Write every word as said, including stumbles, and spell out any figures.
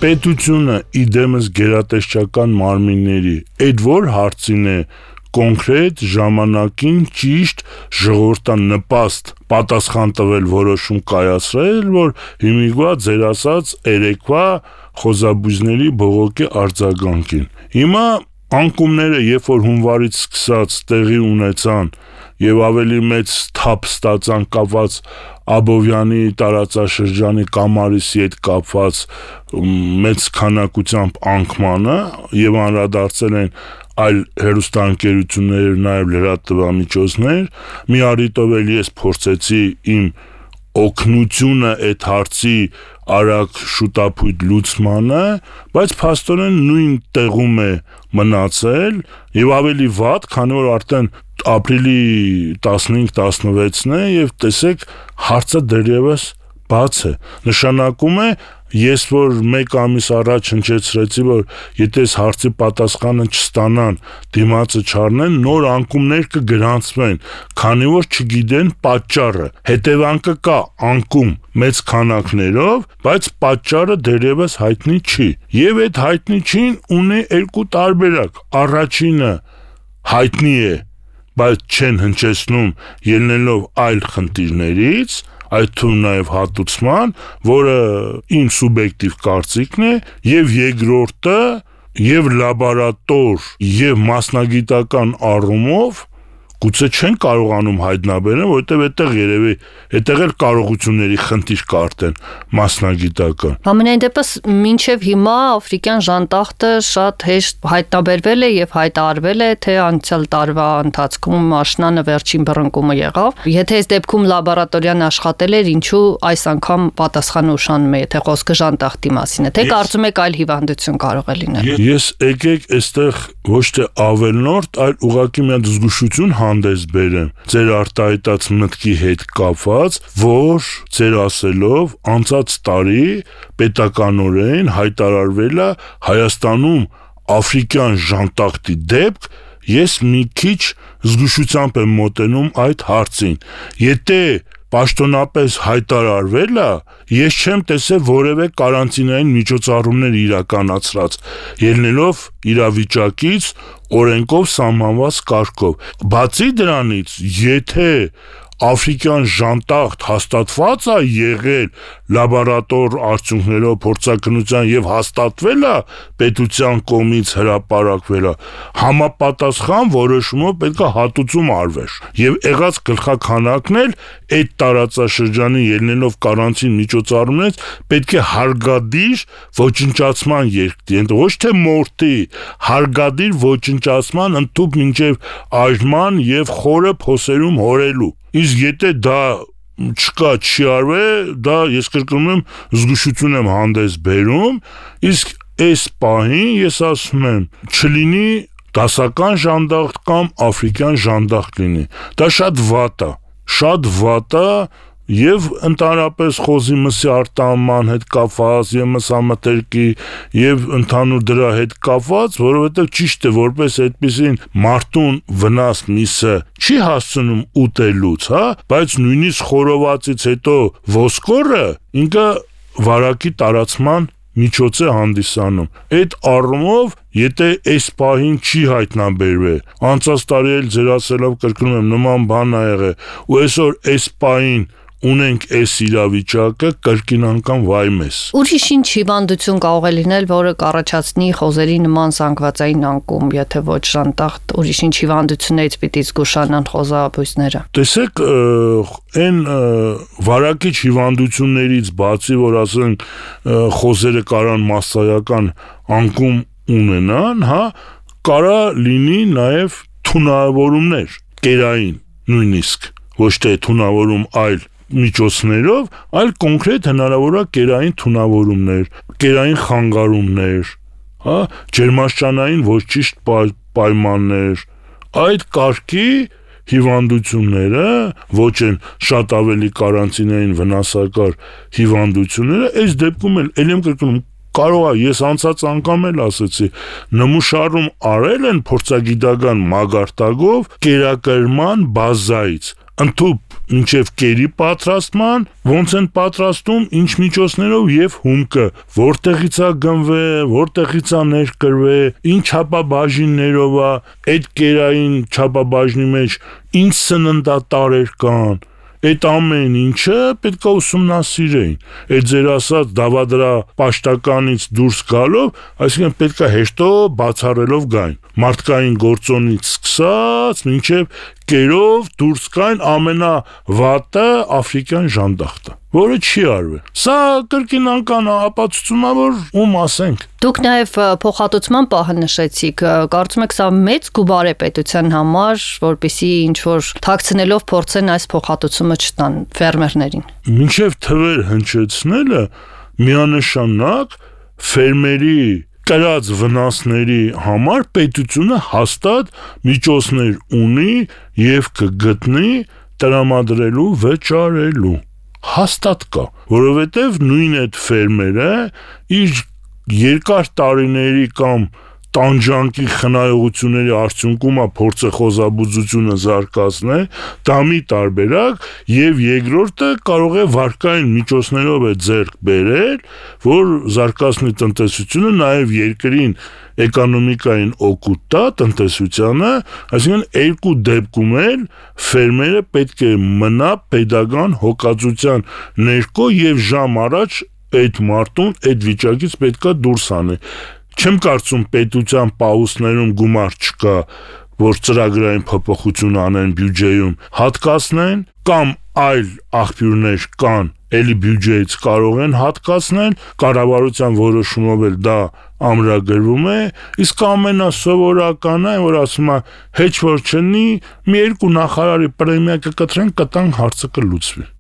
Պետությունը իդեմս գերատեսչական մարմինների այդ որ հարցին է կոնկրետ ժամանակին ճիշտ ժողովրդան նպաստ պատասխան տվել որոշում կայացրել, որ հիմիկվա ձեր ասած երեկվա խոզաբույզների բողոքի արձագանքին։ Հիմա անկումները երբ որ հունվարից սկսած տեղի ունեցան եւ ավելի մեծ թափ ստացան կապված Աբովյանի տարածաշրջանի Կամարիսի հետ կապված մեծ քանակությամբ անկմանը եւ անդրադարձել են այլ հերոստանգերություններ, նաեւ լրատվամիջոցներ, մի առիթով էլ ես փորձեցի իմ օգնությունը այդ հարցի արագ շուտապույտ լուծմանը, բայց փաստորեն նույն տեղում է մնացել եւ ավելի վատ, քանի որ արդեն ապրիլի տասնհինգ տասնվեցն է եւ տեսեք հարցը դեռևս բաց է։ Նշանակում է ես որ մեկ ամիս առաջ հնչեցրեցի, որ եթե այս հարցի պատասխանը չստանան, դիմացը չառնեն, նոր անկումներ կգրանցվեն, քանի որ չգիտեն պատճառը։ Հետևանքը կա անկում մեծ քանակներով, բայց պատճառը դեռևս հայտնի չի։ Եվ այդ հայտնի չին ունի երկու տարբերակ։ Առաջինը հայտնի է, բայց չեն հնչեցնում ելնելով այլ խնդիրներից, այդ թվում նաև հատուցման, որը իմ սուբյեկտիվ կարծիքն է, եւ երկրորդը եւ լաբորատոր եւ մասնագիտական առումով գուցե չեն կարողանում հայտնաբերեն, որովհետև այդտեղ երևի այդտեղ էլ կարողությունների խնդիր կա արդեն մասնագիտական։ Համենայն դեպս մինչև հիմա աֆրիկյան ժանտախտը շատ հեշտ հայտնաբերվել է եւ հայտարարվել է, թե անցյալ տարվա ընթացքում աշնանը վերջին բռնկումը եղավ։ Եթե այս դեպքում լաբորատորիան աշխատել էր, ինչու այս անգամ պատասխանը ուշանում է, եթե խոսքը ժանտախտի մասին է, թե կարծում եք այլ հիվանդություն կարող է լինել։ Ես եկեք այստեղ ոչ թե ավելնորդ, այլ ուղղակի մի հատ զգուշություն հանդես բերեմ ձեր արտահայտած մտքի հետ կապված, որ ձեր ասելով անցած տարի պետականորեն հայտարարվել է Հայաստանում աֆրիկյան ժանտախտի դեպք, ես մի քիչ զգուշությամբ եմ մոտենում այդ հարցին։ Եթե պաշտոնապես հայտարարվել է, ես չեմ տեսել որևէ կարանտինային միջոցառումներ իրականացրած, ելնելով իրավիճակից օրենքով սահմանված կարգով։ Բացի դրանից, եթե աֆրիկյան ժանտախտ հաստատված է եղել լաբորատոր արդյունքներով փորձաքննության եւ հաստատվել է պետության կողմից հրապարակվել է, համապատասխան որոշումով պետք է հատուցում արվեր եւ եղած գլխաքանակն էլ այդ տարածաշրջանի ելնելով կարանտին միջոցառումներից պետք է հարգադիր ոչնչացման երկրի, ոչ թե մորթի, հարգադիր ոչնչացման ընդཐུպ մինչեւ այժման եւ խորը փոսերում հորելու։ Իսկ եթե դա չկա, չի արվել, դա ես կրկնում եմ զգուշություն եմ հանդես բերում, իսկ այս պահին ես ասում եմ, չլինի դասական ժանդախտ կամ աֆրիկյան ժանդախտ լինի։ Դա շատ վատ է, շատ վատ է եւ ընդհանրապես խոզի մսի արտահանման հետ կապված եւ մսամթերքի եւ ընդհանուր դրա հետ կապված, որովհետեւ ճիշտ է որպես այդպեսին մարդուն վնաս միսը չի հասցնում ուտելուց, հա, բայց նույնիսկ խորովածից հետո ոսկորը ինքը վարակի տարածման միջոց է հանդիսանում։ Այդ առումով, եթե այս պահին չի հայտնաբերվել, անցած տարի էլ ձեր ասելով կրկնում եմ նման բան ա եղել, ու այսօր այս պահին ունենք այս իրավիճակը, կրկին անգամ վայ մեզ։ Ուրիշ ինչ հիվանդություն կարող է լինել, որը կառաջացնի խոզերի նման զանգվածային անկում, եթե ոչ ժանտախտ, ուրիշ ինչ հիվանդություններից պիտի զգուշանան խոզաբույսները։ Տեսեք, այն վարակիչ հիվանդություններից բացի, որ ասենք խոզերը կարան մասսայական անկում ունենան, հա, կարա լինի նաև թունավորումներ, կերային նույնիսկ, ոչ թե թունավորում այլ միջոցներով, այլ կոնկրետ հնարավոր է կերային թունավորումներ, կերային խանգարումներ, հա, ջերմաշճանային ոչ ճիշտ պայմաններ, այդ կարգի հիվանդությունները, ոչ են շատ ավելի կարանտինային վնասակար հիվանդությունները, այս դեպքում էլ ելեմ կրկնում կարող է, ես անցած անգամ էլ ասեցի, նմուշարում արել են փորձագիտական մագարտակով կերակրման բազայից, ընդཐུպ մինչև կերի պատրաստման, ոնց են պատրաստում, ինչ միջոցներով եւ հումքը, որտեղից է գնվել, որտեղից է ներկրվել, ինչ չափաբաժիններով է, այդ կերային չափաբաժնի մեջ ինչ սննդատարեր կան, այդ ամեն ինչը պետք է ուսումնասիրեին։ Այդ ձեր ասած դավադրա պաշտականից դուրս գալով, այսինքն պետք է հեշտո բացառելով գային։ Մարդկային գործոնից սկսած մինչև կերով դուրս գային ամենավատը աֆրիկյան ժանդախտը, որը չի արվել։ Սա կրկին անգամ ապացուցում է, որ ում ասենք։ Դուք նաև փոխհատուցման պահը նշեցիք, կարծում եք սա մեծ գումար է պետության համար, որպեսզի ինչ որ թաքցնելով փորձեն այս փոխհատուցումը չտան ֆերմերներին։ Մինչև թվեր հնչեցնելը միանշանակ ֆերմերի կրած վնասների համար պետությունը հաստատ միջոցներ ունի եւ կգտնի տրամադրելու վճարելու։ Հաստատ կա, որովհետեւ նույն այդ ֆերմերը իր երկար տարիների կամ տանջանքի խնայողությունների արդյունքում է փորձը խոզաբուծությունը զարգացնել, դա մի տարբերակ, եւ երկրորդը կարող է վարկային միջոցներով է ձեռք բերել, որ զարգացնի տնտեսությունը, նաեւ երկրին էկոնոմիկային օգուտ տա տնտեսությանը, այսինքն երկու դեպքում էլ ֆերմերը պետք է մնա pedagogan հոգացության ներքո եւ ժամ առաջ այդ մարդուն այդ վիճակից պետքա դուրս անի։ Չեմ կարծում պետության պահուստներում գումար չկա, որ ծրագրային փոփոխություն անեն բյուջեում, հատկացնեն կամ այլ աղբյուրներ կան, էլի բյուջեից կարող են հատկացնել, կառավարության որոշումով էլ դա ամրագրվում է, իսկ ամենասովորականը, որ ասում է, հեչ որ չնի, մի երկու նախարարի պրեմիա կկտրեն, կտան հարցը կլուծվի։